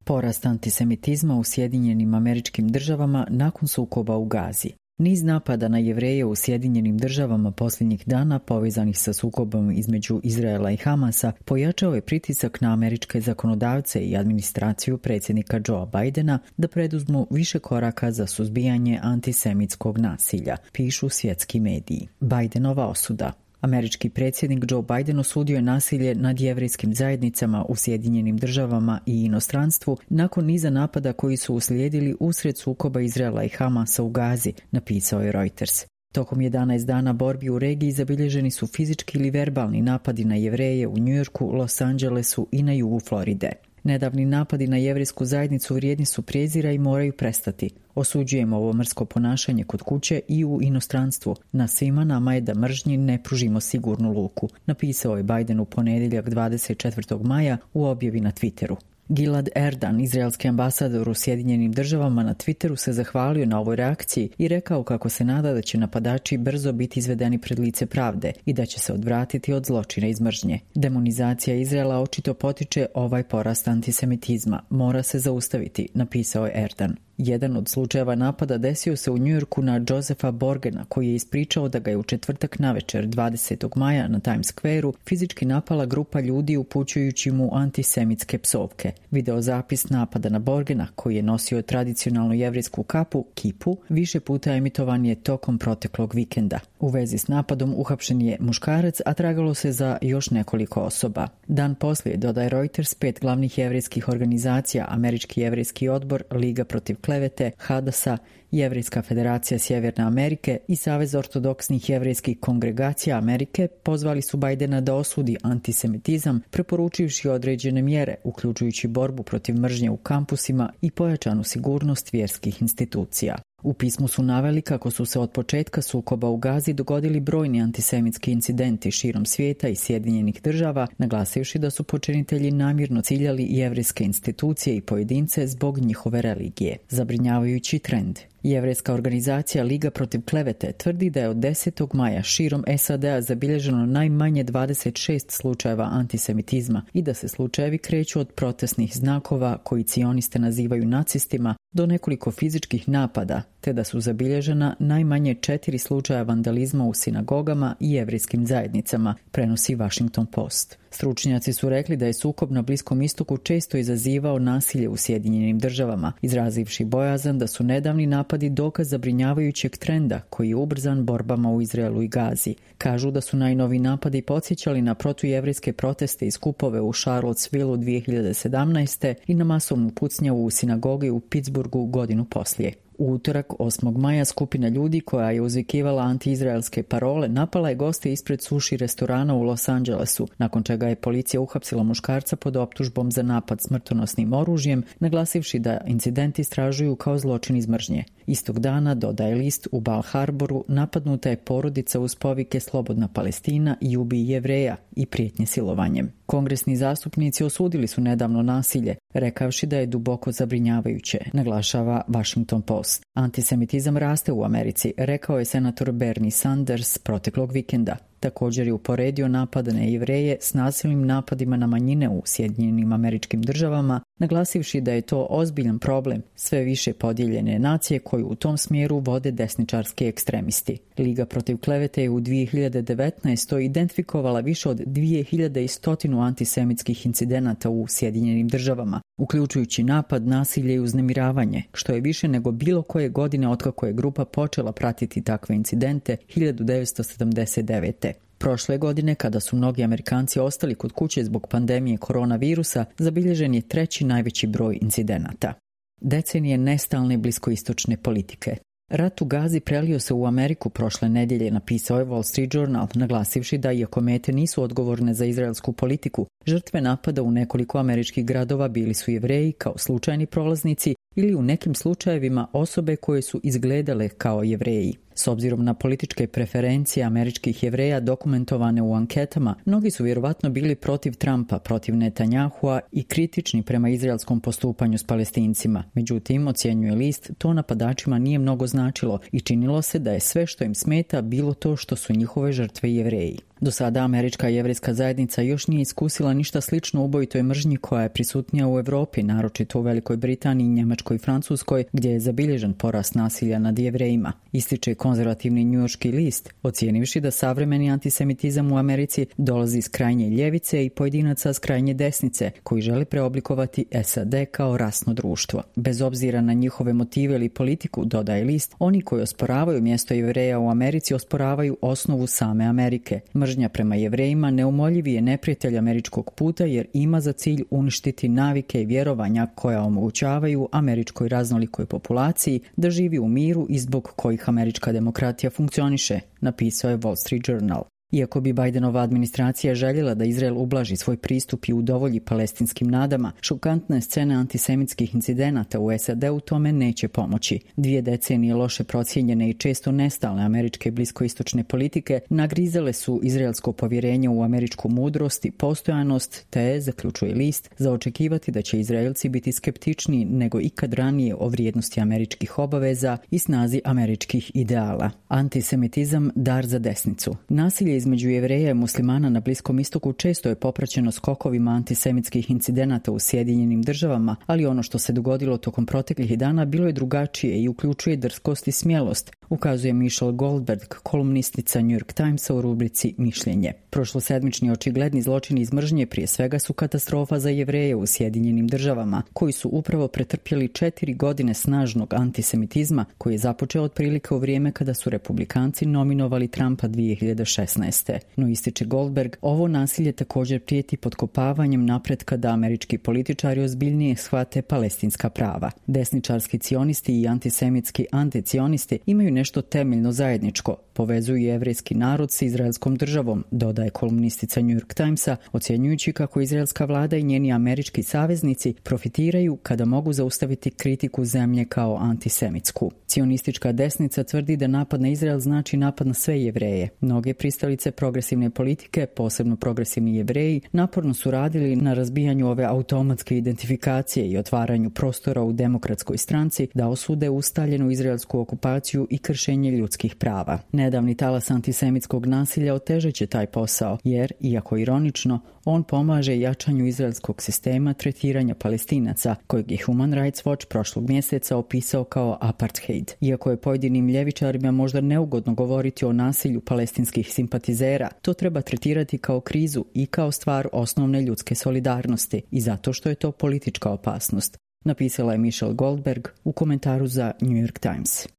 Porast antisemitizma u Sjedinjenim Američkim Državama nakon sukoba u Gazi. Niz napada na Jevreje u Sjedinjenim Državama posljednjih dana povezanih sa sukobom između Izraela i Hamasa pojačao je pritisak na američke zakonodavce i administraciju predsjednika Joea Bidena da preduzmu više koraka za suzbijanje antisemitskog nasilja, pišu svjetski mediji. Bidenova osuda. Američki predsjednik Joe Biden osudio je nasilje nad jevrejskim zajednicama u Sjedinjenim Državama i inostranstvu nakon niza napada koji su uslijedili usred sukoba Izraela i Hamasa u Gazi, napisao je Reuters. Tokom 11 dana borbi u regiji zabilježeni su fizički ili verbalni napadi na Jevreje u Njujorku, Los Angelesu i na jugu Floride. Nedavni napadi na jevrejsku zajednicu vrijedni su prijezira i moraju prestati. Osuđujemo ovo mrsko ponašanje kod kuće i u inostranstvu. Na svima nama je da mržnji ne pružimo sigurnu luku, napisao je Biden u ponedjeljak 24. maja u objavi na Twitteru. Gilad Erdan, izraelski ambasador u Sjedinjenim Državama, na Twitteru se zahvalio na ovoj reakciji i rekao kako se nada da će napadači brzo biti izvedeni pred lice pravde i da će se odvratiti od zločina iz mržnje. Demonizacija Izraela očito potiče ovaj porast antisemitizma. Mora se zaustaviti, napisao je Erdan. Jedan od slučajeva napada desio se u Njujorku na Josepha Borgena, koji je ispričao da ga je u četvrtak navečer 20. maja na Times Square-u fizički napala grupa ljudi upućujući mu antisemitske psovke. Videozapis napada na Borgena, koji je nosio tradicionalnu jevrejsku kapu, kipu, više puta emitovan je tokom proteklog vikenda. U vezi s napadom uhapšen je muškarac, a tragalo se za još nekoliko osoba. Dan poslije, dodaje Reuters, 5 glavnih jevrejskih organizacija, Američki jevrejski odbor, Liga protiv klevete, Hadasa, Jevrejska federacija Sjeverne Amerike i Savez ortodoksnih jevrejskih kongregacija Amerike pozvali su Bidena da osudi antisemitizam, preporučivši određene mjere, uključujući borbu protiv mržnje u kampusima i pojačanu sigurnost vjerskih institucija. U pismu su naveli kako su se od početka sukoba u Gazi dogodili brojni antisemitski incidenti širom svijeta i Sjedinjenih Država, naglasivši da su počinitelji namjerno ciljali jevrejske institucije i pojedince zbog njihove religije. Zabrinjavajući trend. Jevrejska organizacija Liga protiv klevete tvrdi da je od 10. maja širom SAD-a zabilježeno najmanje 26 slučajeva antisemitizma i da se slučajevi kreću od protestnih znakova koji cioniste nazivaju nacistima do nekoliko fizičkih napada, te da su zabilježena najmanje 4 slučaja vandalizma u sinagogama i jevrejskim zajednicama, prenosi Washington Post. Stručnjaci su rekli da je sukob na Bliskom istoku često izazivao nasilje u Sjedinjenim Državama, izrazivši bojazan da su nedavni napadi dokaz zabrinjavajućeg trenda koji je ubrzan borbama u Izraelu i Gazi. Kažu da su najnovi napadi podsjećali na protujevrejske proteste i skupove u Charlottesvilleu 2017. i na masovnu pucnjavu u sinagogi u Pittsburghu godinu poslije. U utorak 8. maja skupina ljudi koja je uzvikivala antiizraelske parole napala je goste ispred suši restorana u Los Angelesu, nakon čega je policija uhapsila muškarca pod optužbom za napad smrtonosnim oružjem, naglasivši da incident istražuju kao zločin iz mržnje. Istog dana, dodaje list, u Bal Harboru napadnuta je porodica uz povike Slobodna Palestina i ubij Jevreja i prijetnje silovanjem. Kongresni zastupnici osudili su nedavno nasilje, rekavši da je duboko zabrinjavajuće, naglašava Washington Post. Antisemitizam raste u Americi, rekao je senator Bernie Sanders proteklog vikenda. Također je uporedio napade na Jevreje s nasilnim napadima na manjine u Sjedinjenim Američkim Državama, naglasivši da je to ozbiljan problem sve više podijeljene nacije koju u tom smjeru vode desničarski ekstremisti. Liga protiv klevete je u 2019. identifikovala više od 2100 antisemitskih incidenata u Sjedinjenim Državama, uključujući napad, nasilje i uznemiravanje, što je više nego bilo koje godine otkako je grupa počela pratiti takve incidente 1979. Prošle godine, kada su mnogi Amerikanci ostali kod kuće zbog pandemije koronavirusa, zabilježen je 3. najveći broj incidenata. Decenije nestalne bliskoistočne politike. Rat u Gazi prelio se u Ameriku prošle nedjelje, napisao je Wall Street Journal, naglasivši da iako mete nisu odgovorne za izraelsku politiku, žrtve napada u nekoliko američkih gradova bili su Jevreji kao slučajni prolaznici ili u nekim slučajevima osobe koje su izgledale kao Jevreji. S obzirom na političke preferencije američkih Jevreja dokumentovane u anketama, mnogi su vjerovatno bili protiv Trumpa, protiv Netanjahua i kritični prema izraelskom postupanju s Palestincima. Međutim, ocjenjuje list, to napadačima nije mnogo značilo i činilo se da je sve što im smeta bilo to što su njihove žrtve Jevreji. Do sada američka jevrejska zajednica još nije iskusila ništa slično ubojitoj mržnji koja je prisutnija u Europi, naročito u Velikoj Britaniji, Njemačkoj i Francuskoj, gdje je zabilježen porast nasilja nad Jevrejima, ističe konzervativni njujorški list, ocijenivši da savremeni antisemitizam u Americi dolazi iz krajnje ljevice i pojedinaca s krajnje desnice, koji žele preoblikovati SAD kao rasno društvo. Bez obzira na njihove motive ili politiku, dodaje list, oni koji osporavaju mjesto Jevreja u Americi osporavaju osnovu same Amerike. Mržnja prema Jevrejima neumoljivi je neprijatelj američkog puta jer ima za cilj uništiti navike i vjerovanja koja omogućavaju američkoj raznolikoj populaciji da živi u miru i zbog kojih američka demokratija funkcioniše, napisao je Wall Street Journal. Iako bi Bidenova administracija željela da Izrael ublaži svoj pristup i udovolji palestinskim nadama, šokantne scene antisemitskih incidenata u SAD-u tome neće pomoći. 2 decenije loše procijenjene i često nestalne američke bliskoistočne politike nagrizale su izraelsko povjerenje u američku mudrost i postojanost, te, zaključuje list, za očekivati da će Izraelci biti skeptičniji nego ikad ranije o vrijednosti američkih obaveza i snazi američkih ideala. Antisemitizam dar za desnicu. Nasilje između Jevreja i muslimana na Bliskom istoku često je popraćeno skokovima antisemitskih incidenata u Sjedinjenim Državama, ali ono što se dogodilo tokom proteklih dana bilo je drugačije i uključuje drskost i smjelost, ukazuje Michelle Goldberg, kolumnistica New York Timesa u rubrici Mišljenje. Prošlosedmični očigledni zločini iz mržnje prije svega su katastrofa za Jevreje u Sjedinjenim Državama, koji su upravo pretrpjeli 4 godine snažnog antisemitizma koji je započeo otprilike u vrijeme kada su republikanci nominovali Trumpa 2016. No, ističe Goldberg, ovo nasilje također prijeti potkopavanjem napretka da američki političari ozbiljnije shvate palestinska prava. Desničarski cionisti i antisemitski anticionisti imaju nešto temeljno zajedničko, povezuju jevrejski narod s izraelskom državom, dodaje kolumnistica New York Timesa, ocjenjujući kako izraelska vlada i njeni američki saveznici profitiraju kada mogu zaustaviti kritiku zemlje kao antisemitsku. Cionistička desnica tvrdi da napad na Izrael znači napad na sve Jevreje. Mnoge pristalice progresivne politike, posebno progresivni Jevreji, naporno su radili na razbijanju ove automatske identifikacije i otvaranju prostora u demokratskoj stranci da osude ustaljenu izraelsku okupaciju i kršenje ljudskih prava. Nedavni talas antisemitskog nasilja otežeće taj posao, jer, iako ironično, on pomaže jačanju izraelskog sistema tretiranja Palestinaca, kojeg je Human Rights Watch prošlog mjeseca opisao kao apartheid. Iako je pojedinim ljevičarima možda neugodno govoriti o nasilju palestinskih simpatizera, to treba tretirati kao krizu i kao stvar osnovne ljudske solidarnosti i zato što je to politička opasnost, napisala je Michelle Goldberg u komentaru za New York Times.